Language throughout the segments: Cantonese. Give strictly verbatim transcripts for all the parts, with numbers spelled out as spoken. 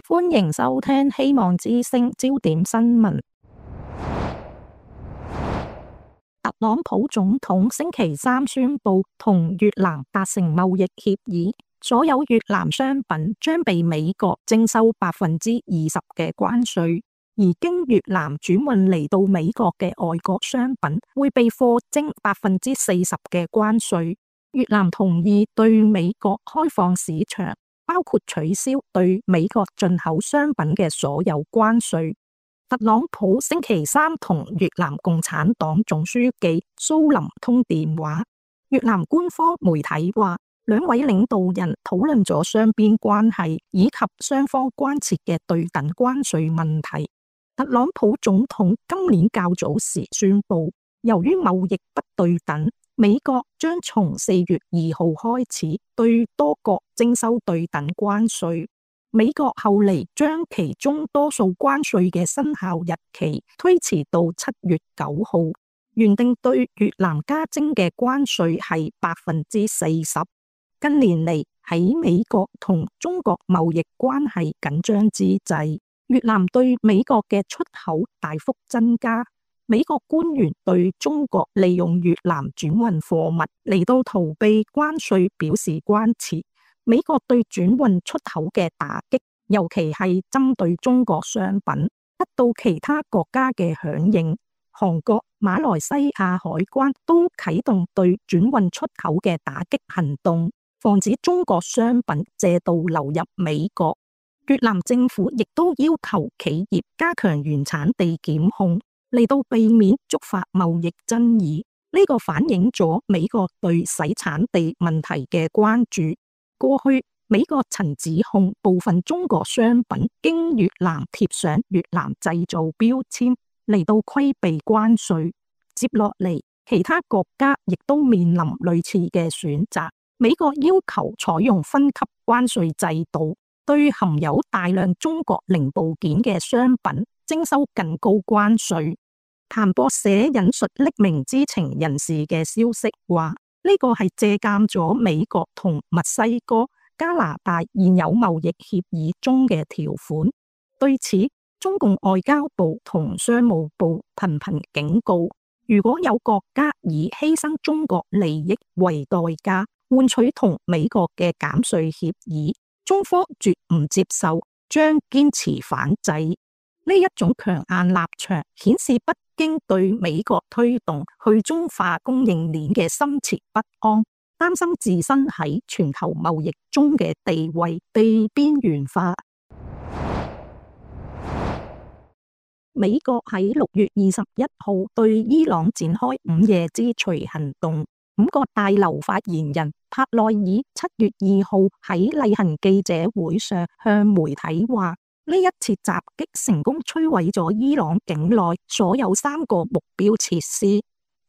歡迎收聽希望之聲焦點新聞。特朗普總統星期三宣布同越南達成貿易協議，所有越南商品將被美國徵收百分之二十嘅關稅，而經越南轉運嚟到美國嘅外國商品會被課徵百分之四十嘅關稅。越南同意對美國開放市場，包括取消對美國進口商品嘅所有關稅。特朗普星期三同越南共產黨總書記蘇林通電話。越南官方媒體話，兩位領導人討論咗雙邊關係以及雙方關切嘅對等關稅問題。特朗普總統今年較早時宣布，由於貿易不對等，美國將從四月二號開始對多國徵收對等關稅。美國後嚟將其中多數關稅嘅生效日期推遲到七月九號，原定對越南加徵嘅關稅係百分之四十。近年嚟喺美國同中國貿易關係緊張之際，越南對美國嘅出口大幅增加。美國官員對中國利用越南轉運貨物嚟到逃避關稅表示關切。美國對轉運出口嘅打擊，尤其係針對中國商品，得到其他國家嘅響應。韓國、馬來西亞海關都啟動對轉運出口嘅打擊行動，防止中國商品借道流入美國。越南政府亦都要求企業加強原產地檢控，嚟到避免觸發貿易爭議。呢個反映咗美國對洗產地問題嘅關注。過去美國曾指控部分中國商品經越南貼上越南製造標籤嚟到規避關稅。接落嚟，其他國家亦都面臨類似嘅選擇。美國要求採用分級關稅制度，對含有大量中國零部件嘅商品徵收更高關稅。彭博社引述匿名知情人士嘅消息話，呢個係借鑒咗美國同墨西哥、加拿大現有貿易協議中嘅條款。對此，中共外交部同商務部頻頻警告，如果有國家以犧牲中國利益為代價換取同美國嘅減稅協議，中方絕唔接受，將堅持反制。呢一種強硬立場顯示北京對美國推動去中化供應鏈嘅深切不安，擔心自身喺全球貿易中嘅地位被邊緣化。美國喺六月二十一號對伊朗展開午夜之錘行動。五個大樓發言人帕內爾七月二號喺例行記者會上向媒體話，呢一次襲擊成功摧毀咗伊朗境內所有三個目標設施。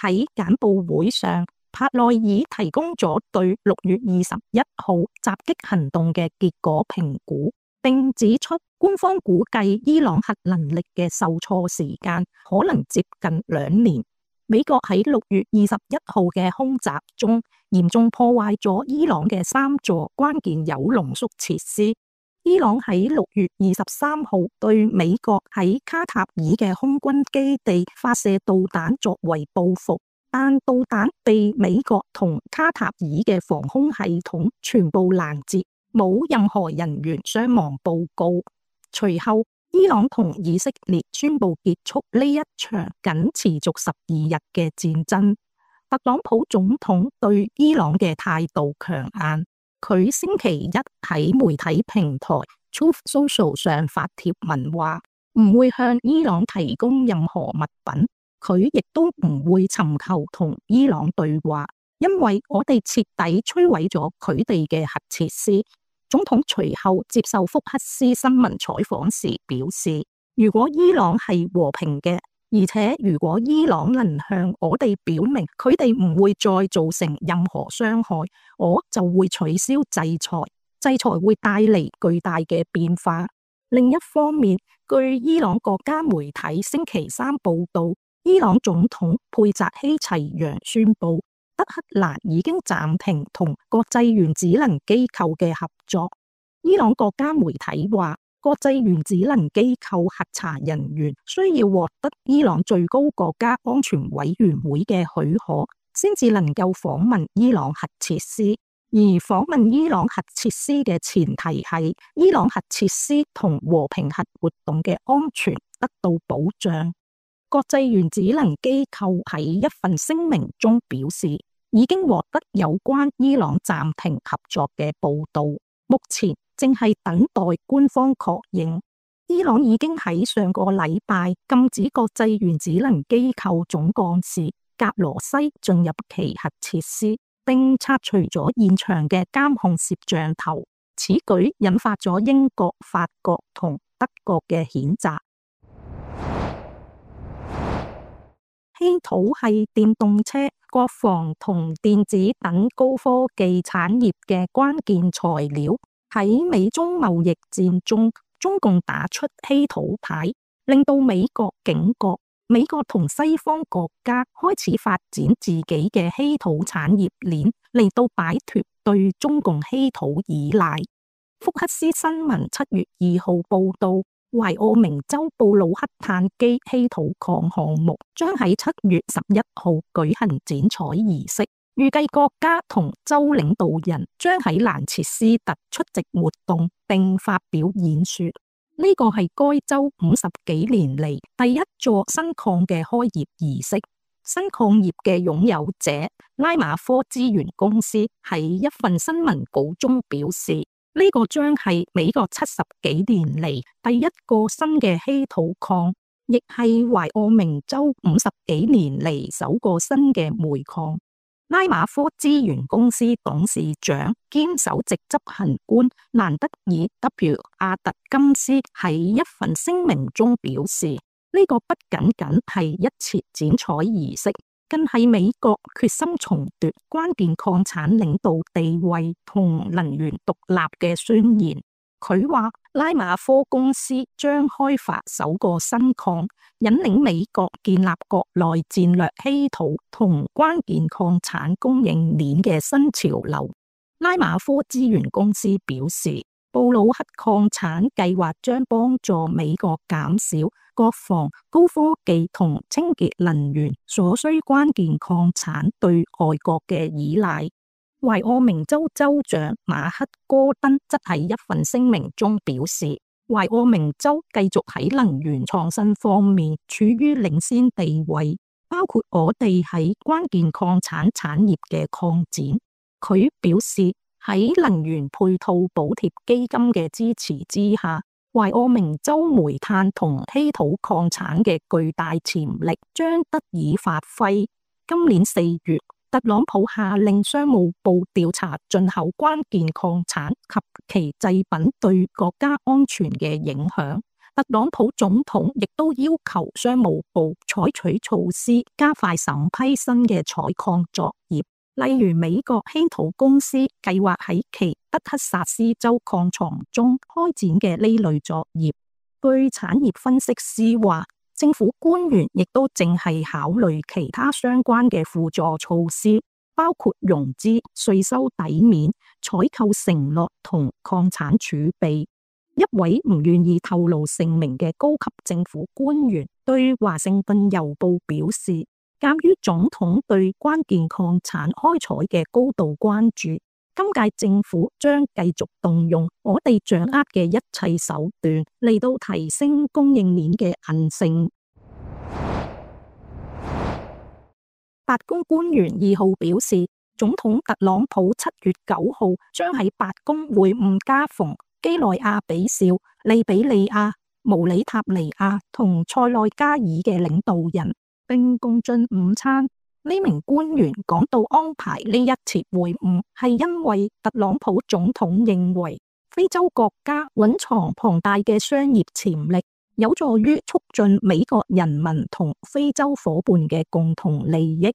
喺簡報會上，帕內爾提供咗對六月二十一號襲擊行動嘅結果評估，並指出官方估計伊朗核能力嘅受挫時間可能接近兩年。美國喺六月二十一號嘅空襲中，嚴重破壞咗伊朗嘅三座關鍵鈾濃縮設施。伊朗喺六月二十三號對美國喺卡塔爾嘅空軍基地發射導彈作為報復，但導彈被美國同卡塔爾嘅防空系統全部攔截，冇任何人員傷亡報告。隨後，伊朗同以色列宣布結束呢一場僅持續十二日嘅戰爭。特朗普總統對伊朗嘅態度強硬，佢星期一喺媒體平台 Truth Social 上發帖文話，唔會向伊朗提供任何物品，佢亦都唔會尋求同伊朗對話，因為我哋徹底摧毀咗佢哋嘅核設施。總統隨後接受福克斯新聞採訪時表示，如果伊朗係和平嘅，而且如果伊朗能向我哋表明佢哋唔會再造成任何傷害，我就會取消制裁，制裁會帶嚟巨大嘅變化。另一方面，據伊朗國家媒體星期三報道，伊朗總統佩澤希齊揚宣布，德黑蘭已經暫停同國際原子能機構嘅合作。伊朗國家媒體話，國際原子能機構核查人員需要獲得伊朗最高國家安全委員會嘅許可，先至能夠訪問伊朗核設施。而訪問伊朗核設施嘅前提係伊朗核設施同和平核活動嘅安全得到保障。國際原子能機構喺一份聲明中表示，已經獲得有關伊朗暫停合作嘅報道，目前正係等待官方確認。伊朗已經喺上個禮拜禁止國際原子能機構總幹事格羅西進入其核設施，並拆除咗現場嘅監控攝像頭。此舉引發咗英國、法國同德國嘅譴責。稀土係電動車、國防同電子等高科技產業嘅關鍵材料。喺美中貿易戰中，中共打出稀土牌，令到美國警覺。美國同西方國家開始發展自己嘅稀土產業鏈，嚟到擺脫對中共稀土依賴。福克斯新聞七月二號報道，懷俄明州布魯克炭基稀土礦項目將喺七月十一號舉行剪彩儀式。預計國家同州領導人將喺蘭切斯特出席活動並發表演說。呢個係該州五十幾年嚟第一座新礦嘅開業儀式。新礦業嘅擁有者拉馬科資源公司喺一份新聞稿中表示，呢個將係美國七十幾年嚟第一個新嘅稀土礦，亦係懷俄明州五十幾年嚟首個新嘅煤礦。拉馬科資源公司董事長兼首席執行官蘭德爾 W 阿特金斯喺一份聲明中表示，呢、這個不僅僅係一次剪彩儀式，更係美國決心重奪關鍵礦產領導地位同能源獨立嘅宣言。佢話拉馬科公司將開發首個新礦，引領美國建立國內戰略稀土同關鍵礦產供應鏈嘅新潮流。拉馬科資源公司表示，布魯克礦產計劃將幫助美國減少國防、高科技同清潔能源所需關鍵礦產對外國嘅依賴。懷俄明州州長馬克戈登則喺一份聲明中表示，懷俄明州繼續喺能源創新方面處於領先地位，包括我哋喺關鍵礦產產業嘅擴展。佢表示，喺能源配套補貼基金嘅支持之下，懷俄明州煤炭同稀土礦產嘅巨大潛力將得以發揮。今年四月，特朗普下令商務部調查進口關鍵礦產及其製品對國家安全嘅影響。特朗普總統亦都要求商務部採取措施，加快審批新嘅採礦作業。例如，美國稀土公司計劃喺其德克薩斯州礦床中開展嘅呢類作業。據產業分析師話，政府官員亦都正係考慮其他相關嘅輔助措施，包括融資、稅收抵免、採購承諾同礦產儲備。一位唔願意透露姓名嘅高級政府官員對華盛頓郵報表示，鑒於總統對關鍵礦產開採嘅高度關注，今屆政府將繼續動用我哋掌握嘅一切手段嚟到提升供應鏈嘅韌性。白宮官員二號表示，總統特朗普七月九號將喺白宮會晤加蓬、基內亞比紹、利比里亞、毛里塔尼亞同塞內加爾嘅領導人，並共進午餐。呢名官員講到安排呢一次會晤，係因為特朗普總統認為非洲國家蘊藏龐大嘅商業潛力，有助於促進美國人民同非洲夥伴嘅共同利益。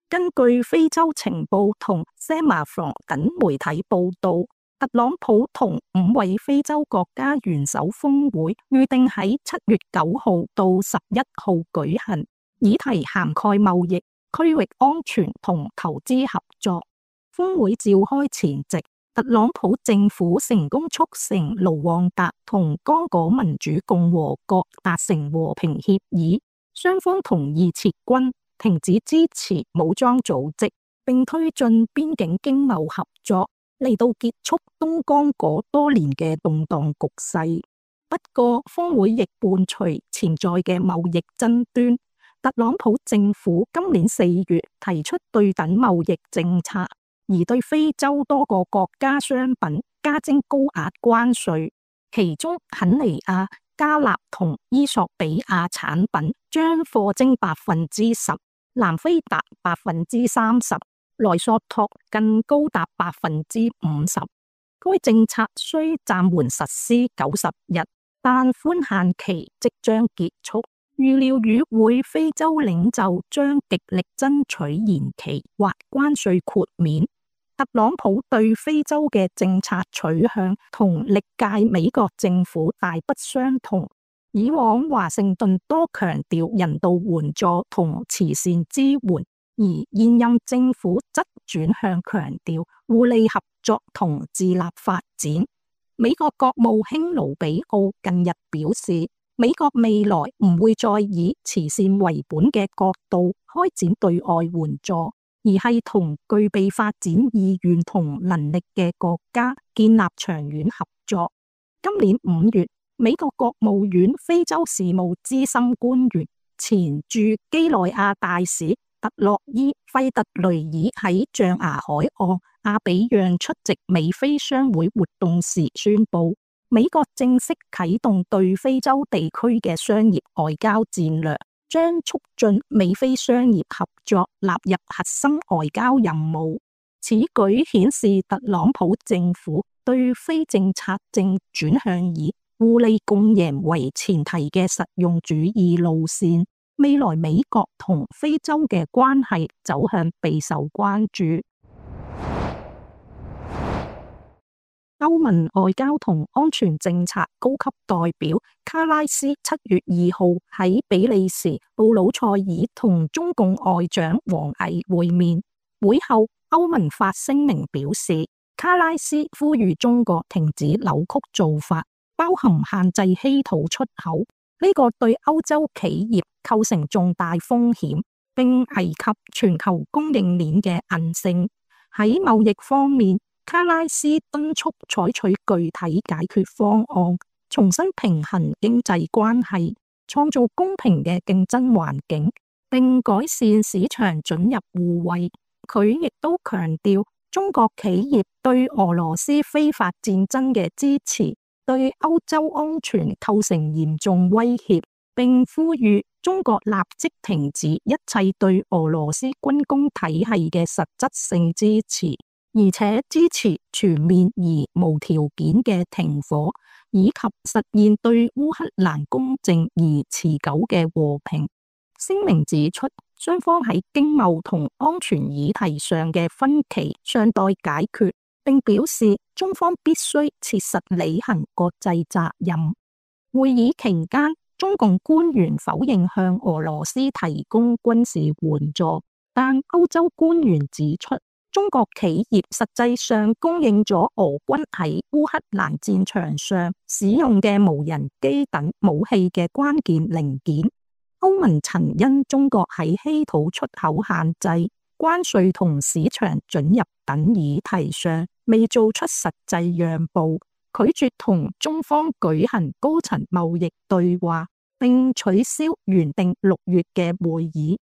根據非洲情報同 Semaphore 等媒體報道，特朗普同五位非洲國家元首峰會預定喺七月九號到十一號舉行，議題涵蓋貿易、區域安全同投資合作。峰會召開前夕，特朗普政府成功促成盧旺達同剛果民主共和國達成和平協議，雙方同意撤軍、停止支持武裝組織，並推進邊境經貿合作，嚟到結束東剛果多年嘅動盪局勢。不過，峰會亦伴隨潛在嘅貿易爭端。特朗普政府今年四月提出對等貿易政策，而對非洲多個國家商品加徵高額關稅，其中肯尼亞、加納同伊索比亞產品將課徵百分之十，南非達百分之三十，萊索托更高達百分之五十。該政策雖暫緩實施九十日，但寬限期即將結束。預料與會非洲領袖將極力爭取延期或關稅豁免。特朗普對非洲嘅政策取向同歷屆美國政府大不相同。以往華盛頓多強調人道援助同慈善支援，而現任政府則轉向強調互利合作同自立發展。美國國務卿盧比奧近日表示，美國未來唔會再以慈善為本嘅角度開展對外援助，而係同具備發展意願同能力嘅國家建立長遠合作。今年五月，美國國務院非洲事務資深官員、前駐幾內亞大使特洛伊費特雷爾喺象牙海岸阿比讓出席美非商會活動時宣布，美國正式啟動對非洲地區嘅商業外交戰略，將促進美非商業合作納入核心外交任務。此舉顯示特朗普政府對非政策正轉向以互利共贏為前提嘅實用主義路線。未來美國同非洲嘅關係走向備受關注。歐盟外交同安全政策高級代表卡拉斯七月二號喺比利時布魯塞爾同中共外長王毅會面。會後，歐盟發聲明表示，卡拉斯呼籲中國停止扭曲做法，包含限制稀土出口，呢個對歐洲企業構成重大風險，並危及全球供應鏈嘅韌性。喺貿易方面，卡拉斯敦促採取具體解決方案，重新平衡經濟關係，創造公平嘅競爭環境，並改善市場准入互惠。佢亦都強調，中國企業對俄羅斯非法戰爭嘅支持，對歐洲安全構成嚴重威脅，並呼籲中國立即停止一切對俄羅斯軍工體系嘅實質性支持，而且支持全面而無條件嘅停火，以及實現對烏克蘭公正而持久嘅和平。聲明指出，雙方喺經貿同安全議題上嘅分歧尚待解決，並表示中方必須切實履行國際責任。會議期間，中共官員否認向俄羅斯提供軍事援助，但歐洲官員指出，中國企業實際上供應咗俄軍喺烏克蘭戰場上使用嘅無人機等武器嘅關鍵零件。歐盟曾因中國喺稀土出口限制、關稅同市場准入等議題上未做出實際讓步，拒絕同中方舉行高層貿易對話，並取消原定六月嘅會議。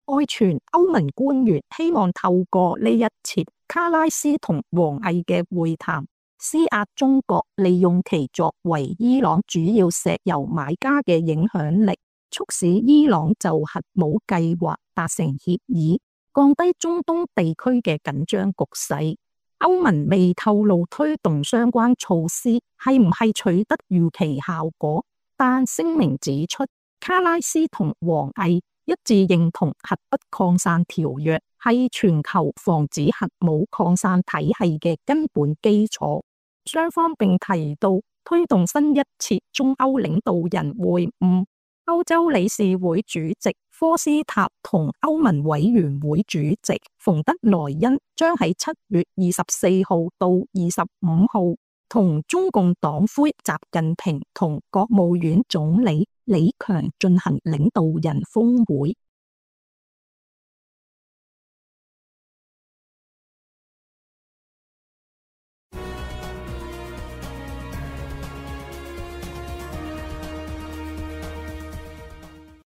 外傳歐盟官員希望透過呢一次卡拉斯同王毅嘅會談，施壓中國利用其作為伊朗主要石油買家嘅影響力，促使伊朗就核武計劃達成協議，降低中東地區嘅緊張局勢。歐盟未透露推動相關措施係唔係取得預期效果，但聲明指出，卡拉斯同王毅一致認同核不擴散條約係全球防止核武擴散體系嘅根本基礎。雙方並提到推動新一次中歐領導人會晤。歐洲理事會主席科斯塔同歐盟委員會主席馮德萊恩將喺七月二十四號到二十五號同中共黨魁習近平同國務院總理李強進行領導人峰會。